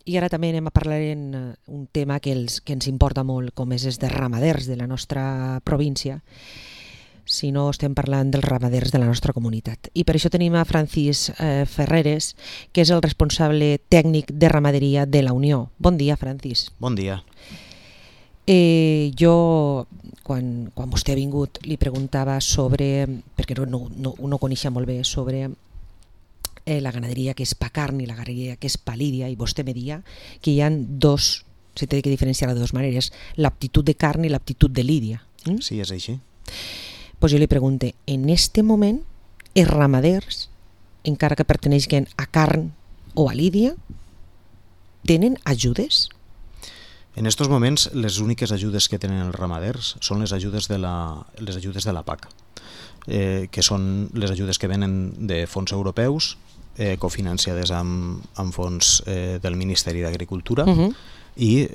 I ara també anem a parlar en un tema que ens importa molt, com és els de ramaders de la nostra província, si no estem parlant dels ramaders de la nostra comunitat. I per això tenim a Francis Ferreres, que és el responsable tècnic de ramaderia de la Unió. Bon dia, Francis. Bon dia. Jo, quan vostè ha vingut, li preguntava sobre, perquè no coneixia molt bé, sobre la ganaderia que és pa carn i la ganaderia que és pa lídia, i vostè me deia que hi ha dos, se té que diferenciar de dues maneres, l'aptitud de carn i l'aptitud de lídia. Sí, és així. Pues jo li pregunte, en este moment, els ramaders, encara que perteneixen a carn o a lídia, tenen ajudes? En aquests moments, les úniques ajudes que tenen els ramaders són les ajudes de la PAC, que són les ajudes que venen de fons europeus, cofinanciades amb fons del Ministeri d'Agricultura, i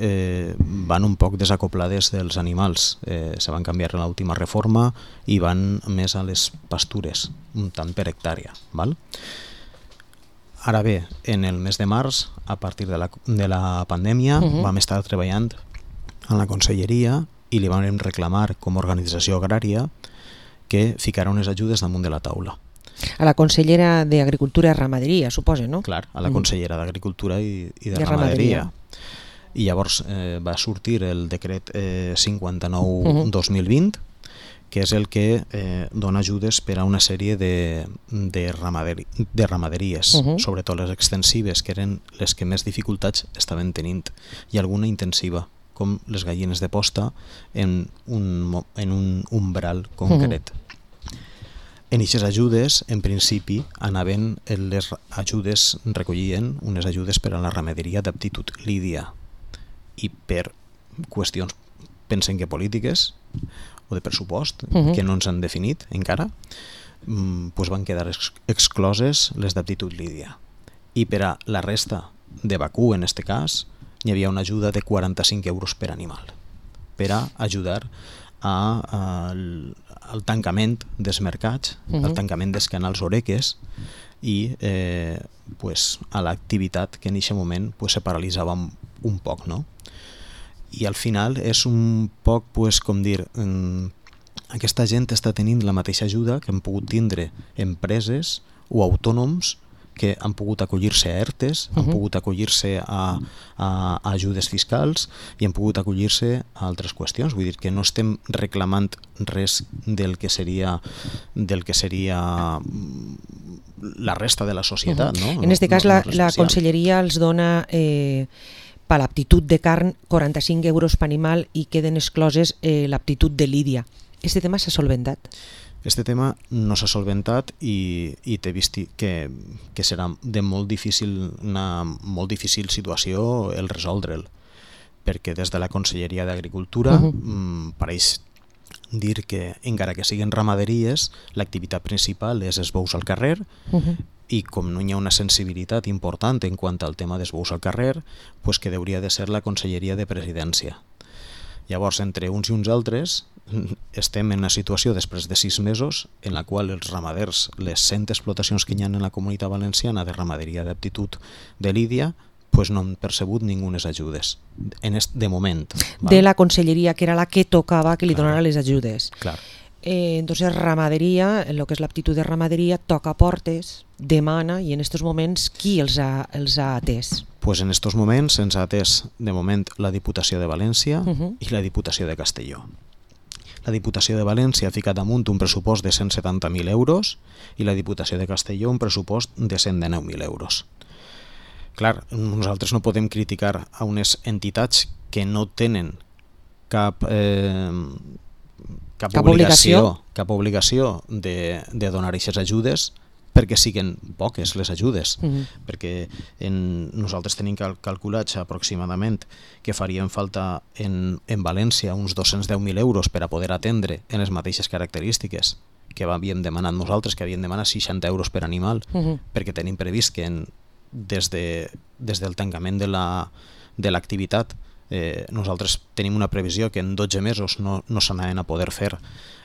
van un poc desacoplades dels animals. Se van canviar en l'última reforma i van més a les pastures, un tant per hectàrea. Val? Ara bé, en el mes de març, a partir de la pandèmia, vam estar treballant en la conselleria i li vam reclamar com a organització agrària que ficara unes ajudes damunt de la taula. A la consellera d'Agricultura i Ramaderia, suposa, no? Clar, a la consellera d'Agricultura i de Ramaderia. I llavors va sortir el decret 59-2020, que és el que dona ajudes per a una sèrie de ramaderies, sobretot les extensives, que eren les que més dificultats estaven tenint, i alguna intensiva, com les gallines de posta en un umbral concret. En aquestes ajudes, en principi, anaven les ajudes, recollien unes ajudes per a la ramaderia d'aptitud lídia, i per qüestions, pensen que polítiques o de pressupost, que no ens han definit encara, van quedar excloses les d'aptitud lídia. I per a la resta de vacú, en aquest cas, hi havia una ajuda de 45 euros per animal, per a ajudar al tancament dels mercats, al tancament dels canals oreques i a l'activitat que en aquest moment se paralitzava un poc, no? I al final és un poc, com dir, aquesta gent està tenint la mateixa ajuda que han pogut tindre empreses o autònoms que han pogut acollir-se a ERTEs, han pogut acollir-se a ajudes fiscals i han pogut acollir-se a altres qüestions. Vull dir que no estem reclamant res del que seria la resta de la societat. No? En aquest cas, la conselleria els dona per l'aptitud de carn 45 euros per animal i queden excloses l'aptitud de lídia. Este tema s'ha solventat? Este tema no s'ha solventat i t'he vist que serà de molt difícil situació el resoldre'l, perquè des de la Conselleria d'Agricultura pareix dir que, encara que siguin ramaderies, l'activitat principal és els bous al carrer, i com no hi ha una sensibilitat important en quant al tema dels bous al carrer, que hauria de ser la Conselleria de Presidència. Llavors, entre uns i uns altres, estem en una situació després de 6 mesos en la qual els ramaders, les 100 explotacions que hi ha en la Comunitat Valenciana de ramaderia d'aptitud de lídia, no han percebut ningunes ajudes, de moment. De la conselleria, que era la que tocava que li donara les ajudes. Clar. Entonces, ramaderia, en lo que és l'aptitud de ramaderia, toca portes, demana, i en aquests moments qui els ha atès? En aquests moments ens ha atès, de moment, la Diputació de València i la Diputació de Castelló. La Diputació de València ha ficat damunt un pressupost de 170.000 euros i la Diputació de Castelló un pressupost de 119.000 euros. Clar, nosaltres no podem criticar a unes entitats que no tenen cap obligació de donar aquestes ajudes perquè siguen poques les ajudes, perquè nosaltres tenim calculats aproximadament que farien falta en València uns 210.000 euros per a poder atendre en les mateixes característiques que havíem demanat nosaltres, que havíem demanat 60 euros per animal, perquè tenim previst que des del tancament de l'activitat nosaltres tenim una previsió que en 12 mesos no s'anaven a poder fer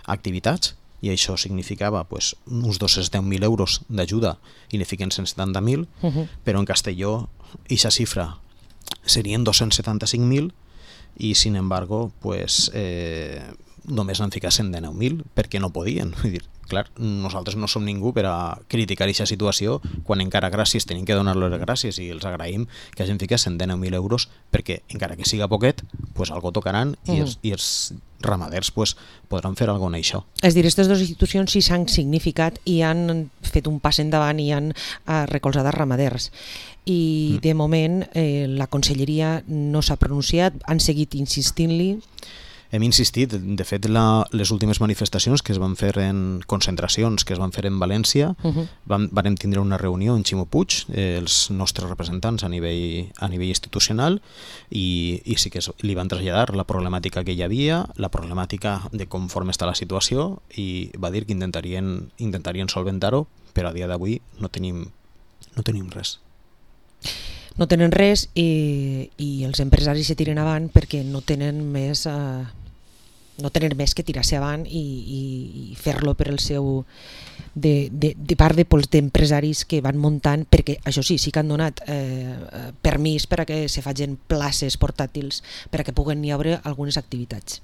activitats, i això significava uns 210.000 euros d'ajuda i ne fiquen 170.000, però en Castelló aquesta xifra serien 275.000 i, sin embargo, pues, només n'han ficat 119.000 perquè no podien. Vull dir, clar, nosaltres no som ningú per a criticar aquesta situació quan encara gràcies tenim que donar-los gràcies i els agraïm que hagin ficat 119.000 euros perquè encara que siga poquet, pues algo tocaran i els ramaders pues, podran fer alguna cosa en això. És dir, aquestes dues institucions sí s'han significat i han fet un pas endavant i han recolzat els ramaders. I de moment la conselleria no s'ha pronunciat, han seguit insistint-li. Hem insistit, de fet les últimes manifestacions que es van fer en concentracions que es van fer en València, vam tindre una reunió en Ximo Puig, els nostres representants a nivell institucional, i sí que li van traslladar la problemàtica que hi havia, la problemàtica de conforme està la situació, i va dir que intentarien solventar-ho, però a dia d'avui no tenim res. No tenen res i els empresaris se tiren avant perquè no tenen més que tirar-se avant i fer-lo per el seu de part d'empresaris que van muntant, perquè això sí que han donat permís per a que se facin places portàtils per a que puguen hi haver algunes activitats.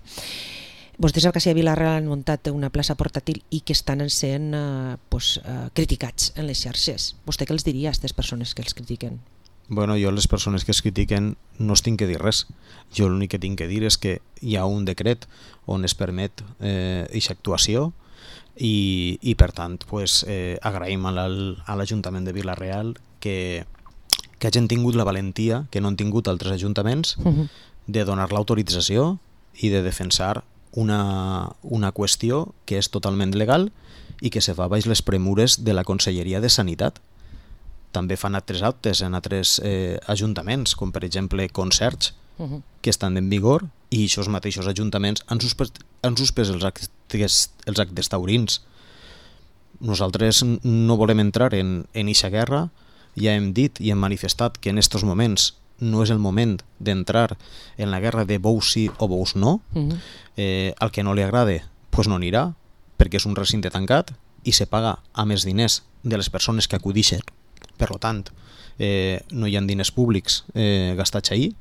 Vostès al Cassia Vila-real han muntat una plaça portàtil i que estan sent criticats en les xarxes. Vostè què els diria a aquestes persones que els critiquen? Bueno, jo a les persones que es critiquen no es tinc que dir res. Jo l'únic que tinc que dir és que hi ha un decret on es permet aquesta actuació i per tant pues, agraïm a l'Ajuntament de Vila-real que hagin tingut la valentia que no han tingut altres ajuntaments de donar l'autorització i de defensar una qüestió que és totalment legal i que se fa baix les premures de la Conselleria de Sanitat. També fan altres actes en altres ajuntaments, com per exemple concerts, que estan en vigor, i aquests mateixos ajuntaments han suspès els actes taurins. Nosaltres no volem entrar en eixa guerra, ja hem dit i hem manifestat que en aquests moments no és el moment d'entrar en la guerra de bous sí o bous no. Al que no li agrada pues no anirà, perquè és un recinte tancat i se paga a més diners de les persones que acudixen. Per tant, no hi ha diners públics gastats ahir,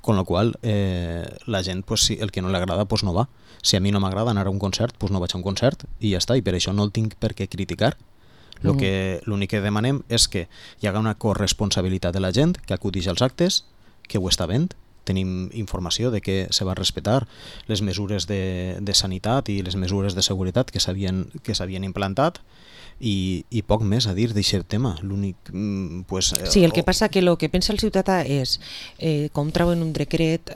con la qual la gent, pues, si el que no li agrada pues no va. Si a mi no m'agrada anar a un concert, pues no vaig a un concert i ja està, i per això no el tinc per què criticar. L'únic que demanem és que hi haga una corresponsabilitat de la gent que acudix als actes, que ho està fent. Tenim informació de que se va respectar les mesures de sanitat i les mesures de seguretat que s'havien implantat, i poc més a dir d'aquest tema. Sí, el que passa que el que pensa el ciutadà és com trauen un decret,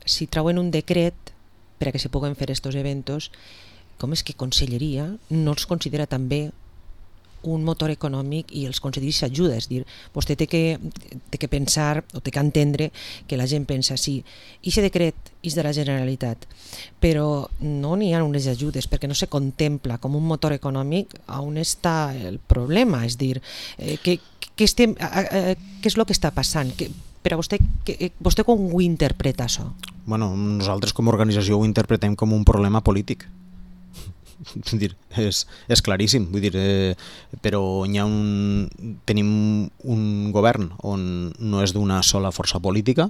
si trauen un decret per a que se puguen fer estos eventos, com és que Conselleria no els considera també un motor econòmic i els concedir ajuda? És dir, vostè té que pensar o té que entendre que la gent pensa sí, aquest decret és de la Generalitat, però no n'hi ha unes ajudes perquè no se contempla com un motor econòmic on està el problema. És dir, què és el que està passant? Per a vostè com ho interpreta això? Bueno, nosaltres com a organització ho interpretem com un problema polític. És claríssim, vull dir, però tenim un govern on no és d'una sola força política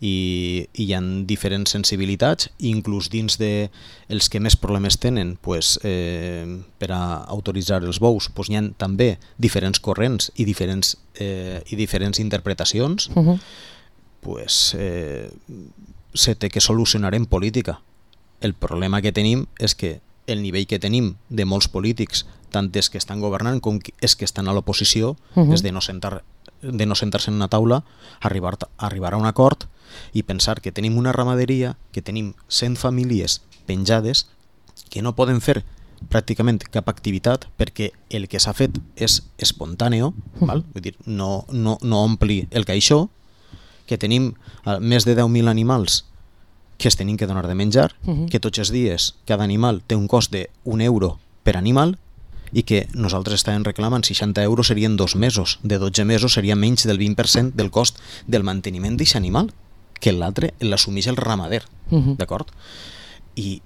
i hi ha diferents sensibilitats, inclús dins de els que més problemes tenen pues, per a autoritzar els bous, pues, hi ha també diferents corrents i diferents interpretacions. Pues, se té que solucionar en política. El problema que tenim és que el nivell que tenim de molts polítics, tant els que estan governant com els que estan a l'oposició, és de no sentar-se en una taula, arribar a un acord i pensar que tenim una ramaderia, que tenim 100 famílies penjades, que no poden fer pràcticament cap activitat perquè el que s'ha fet és espontàneo, val? Vull dir, no ompli el caixó, que tenim més de 10.000 animals que es tenim que donar de menjar, que tots els dies cada animal té un cost d'1 euro per animal i que nosaltres estàvem reclamant 60 euros serien 2 mesos, de 12 mesos seria menys del 20% del cost del manteniment d'aquest animal, que l'altre l'assumeix el ramader, d'acord? I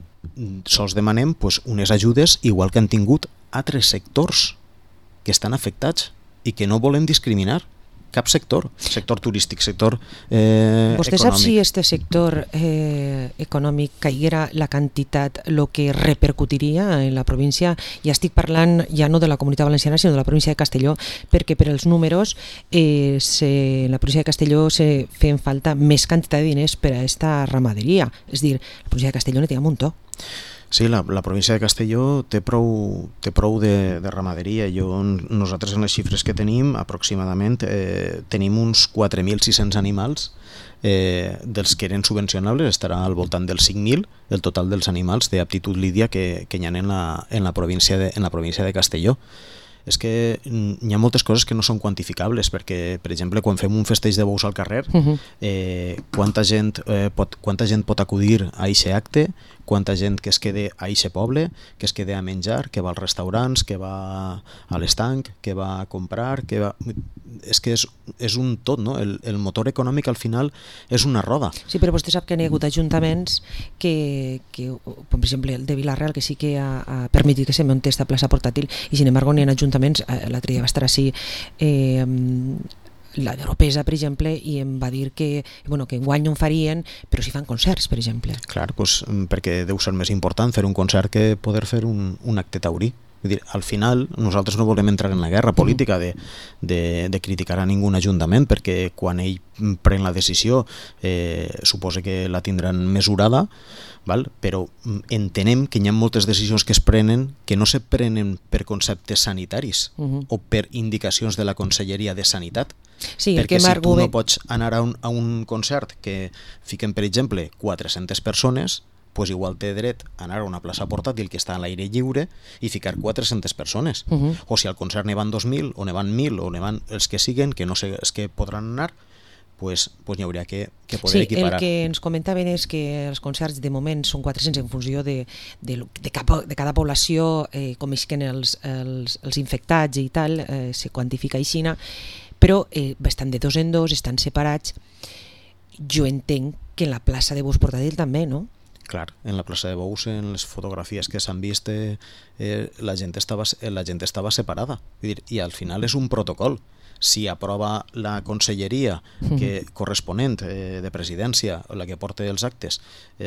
sols demanem pues, unes ajudes igual que han tingut altres sectors que estan afectats i que no volem discriminar. Cap sector turístic, sector ¿Vostè econòmic. sap si este sector econòmic caiguera la quantitat, el que repercutiria en la província? Ja estic parlant ja no de la Comunitat Valenciana, sinó de la província de Castelló, perquè per els números en la província de Castelló se feien falta més quantitat de diners per a esta ramaderia. És a dir, la província de Castelló ne té un muntó. Sí, la província de Castelló té prou de ramaderia. Nosaltres en les xifres que tenim, aproximadament, tenim uns 4.600 animals, dels que eren subvencionables estarà al voltant dels 5.000, el total dels animals d'aptitud lídia que hi ha en la província de Castelló. És que hi ha moltes coses que no són quantificables, perquè, per exemple, quan fem un festeig de bous al carrer, quanta gent pot acudir a aquest acte, quanta gent que es quede a aquest poble, que es quede a menjar, que va als restaurants, que va a l'estanc, que va a comprar, és que és un tot, no? El motor econòmic al final és una roda. Sí, però vostè sap que hi ha hagut ajuntaments que per exemple, el de Vilarreal, que sí que ha permitit que se munti esta plaça portàtil, i sin embargo n'hi ha ajuntaments, l'altre dia va estar així la d'Europesa, per exemple, i em va dir que enguany no en farien, però si fan concerts, per exemple. Clar, perquè deu ser més important fer un concert que poder fer un acte taurí. Vull dir, al final nosaltres no volem entrar en la guerra política de criticar a ningú ajuntament, perquè quan ell pren la decisió suposa que la tindran mesurada, val? Però entenem que hi ha moltes decisions que es prenen que no se prenen per conceptes sanitaris o per indicacions de la Conselleria de Sanitat. Sí, perquè si tu no pots anar a un concert que fiquen, per exemple, 400 persones, pues igual té dret a anar a una plaça portàtil que està a l'aire lliure i ficar 400 persones. O si al concert ne van 2.000 o ne van 1.000 o ne van els que siguen, que no sé els que podran anar, pues n'hi hauria que poder equiparar. El que ens comentaven és que els concerts de moment són 400 en funció de cada població, com isquen els infectats i tal, se quantifica aixina, però estan de dos en dos, estan separats. Jo entenc que en la plaça de bous portàtil també, no? Clar, en la plaça de bous, en les fotografies que s'han vist, la gent estava separada. Vull dir, i al final és un protocol. Si aprova la conselleria corresponent de presidència, la que porta els actes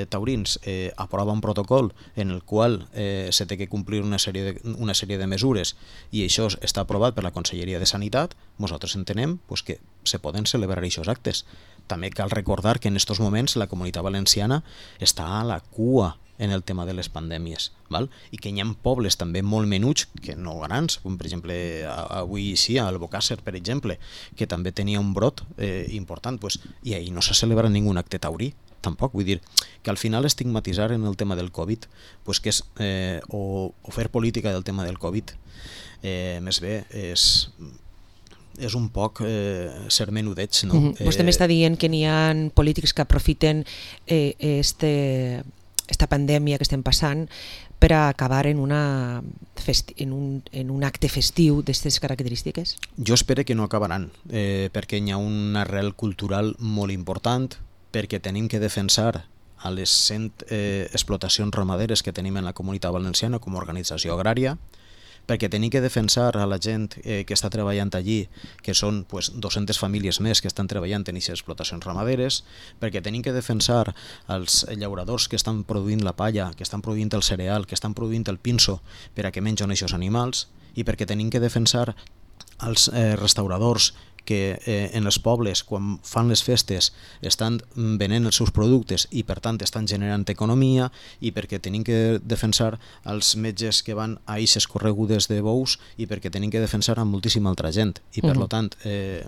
taurins, aprova un protocol en el qual se té que complir una sèrie de mesures i això està aprovat per la Conselleria de Sanitat, nosaltres entenem que se poden celebrar aquests actes. També cal recordar que en aquests moments la Comunitat Valenciana està a la cua en el tema de les pandèmies, val? I que hi ha pobles també molt menuts, que no grans, com per exemple avui sí, a Albocàsser, per exemple, que també tenia un brot important, i ahir no se celebra ningú acte taurí, tampoc. Vull dir que al final estigmatitzar en el tema del Covid, que és, o fer política del tema del Covid, més bé és un poc ser menudeig, no? Vostè m'està dient que n'hi ha polítics que aprofiten esta pandèmia que estem passant per a acabar en un acte festiu d'aquestes característiques? Jo espero que no acabaran, perquè hi ha una arrel cultural molt important, perquè tenim que defensar a les 100 explotacions ramaderes que tenim en la Comunitat Valenciana com a organització agrària, perquè tenim que defensar a la gent que està treballant allí, que són 200 famílies més que estan treballant en aquestes explotacions ramaderes, perquè tenim que defensar els llauradors que estan produint la palla, que estan produint el cereal, que estan produint el pinso per a que mengen aquests animals, i perquè tenim que defensar els restauradors que en els pobles, quan fan les festes, estan venent els seus productes i per tant estan generant economia, i perquè tenim que defensar els metges que van a eixes corregudes de bous, i perquè tenim que defensar a moltíssima altra gent. I per tant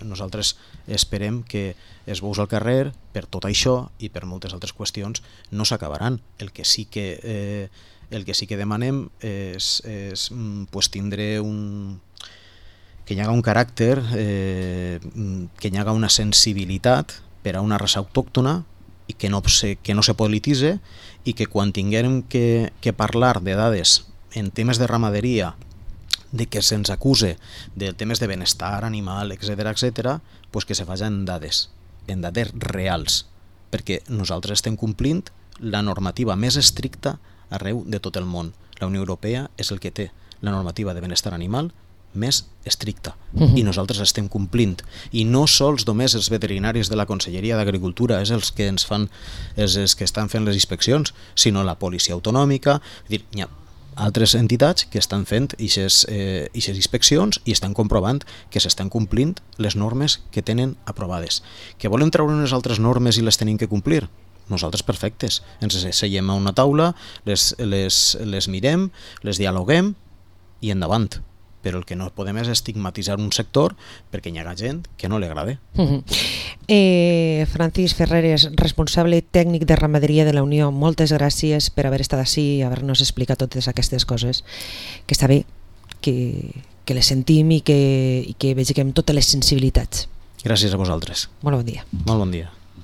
nosaltres esperem que els bous al carrer, per tot això i per moltes altres qüestions, no s'acabaran. El que sí que demanem és tindre que hi haga un caràcter, que hi haga una sensibilitat per a una raça autòctona i que no se polititze, i que quan tinguem que parlar de dades en temes de ramaderia, de que se'ns acuse de temes de benestar animal, etc., que se faci en dades reals, perquè nosaltres estem complint la normativa més estricta arreu de tot el món. La Unió Europea és el que té la normativa de benestar animal més estricta i nosaltres estem complint, i no sols només els veterinaris de la Conselleria d'Agricultura és els que ens fan, els que estan fent les inspeccions, sinó la policia autonòmica. Hi ha altres entitats que estan fent aquestes inspeccions i estan comprovant que s'estan complint les normes que tenen aprovades. Que volem treure unes altres normes i les tenim que complir? Nosaltres perfectes, ens seiem a una taula, les mirem, les dialoguem i endavant. Però el que no podem és estigmatitzar un sector perquè hi ha gent que no li agrada. Francis Ferreres, responsable tècnic de ramaderia de la Unió, moltes gràcies per haver estat ací i haver-nos explicat totes aquestes coses, que està bé que les sentim i que vegem totes les sensibilitats. Gràcies a vosaltres. Molt bon dia. Molt bon dia.